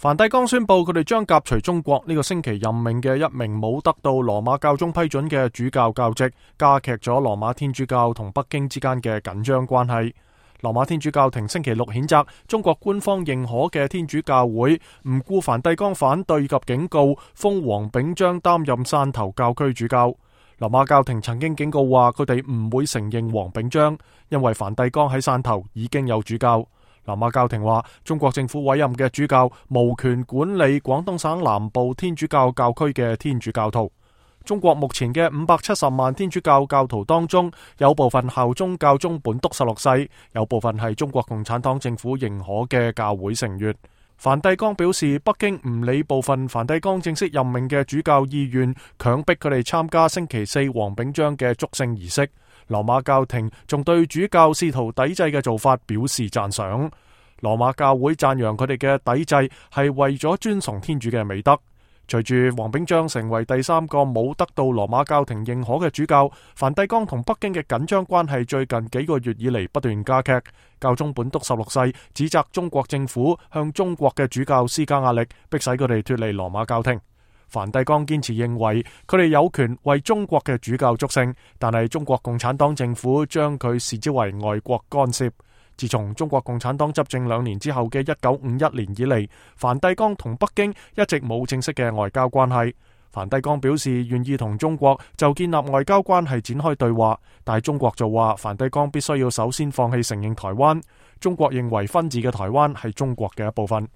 梵蒂岡宣布佢哋將革除中國呢個星期任命嘅一名冇得到羅馬教宗批准嘅主教教職，加劇咗羅馬天主教同北京之間嘅緊張關係。羅馬天主教廷星期六譴責中國官方認可嘅天主教會唔顧梵蒂岡反對及警告，封黃炳章擔任汕頭教區主教。羅馬教廷曾經警告話佢哋唔會承認黃炳章，因為梵蒂岡喺汕頭已經有主教。羅馬教廷話中國政府委任嘅主教無權管理廣東省南部天主教教區嘅天主教徒。中國目前嘅570萬天主教教徒當中，有部分效忠教宗本篤十六世，有部分係中國共產黨政府認可嘅教會成員。梵蒂岡表示，北京唔理部分梵蒂岡正式任命嘅主教意願，強迫佢哋參加星期四黃炳章嘅祝聖儀式。羅馬教廷仲對主教試圖抵制嘅做法表示讚賞。羅馬教會讚揚佢哋嘅抵制係為咗尊崇天主嘅美德。隨住黃炳章成為第三個冇得到羅馬教廷認可嘅主教，梵蒂岡同北京嘅緊張關係最近幾個月以嚟不斷加劇。教宗本篤十六世指責中國政府向中國嘅主教施加壓力，迫使佢哋脫離羅馬教廷。梵蒂岡堅持認為佢哋有權為中國嘅主教祝聖，但係中國共產黨政府將佢視之為外國干涉。自從中國共產黨執政2年之後嘅1951年以嚟，梵蒂岡同北京一直冇正式嘅外交關係。梵蒂岡表示願意同中國就建立外交關係展開對話，但係中國就話梵蒂岡必須要首先放棄承認台灣。中國認為分治嘅台灣係中國嘅一部分。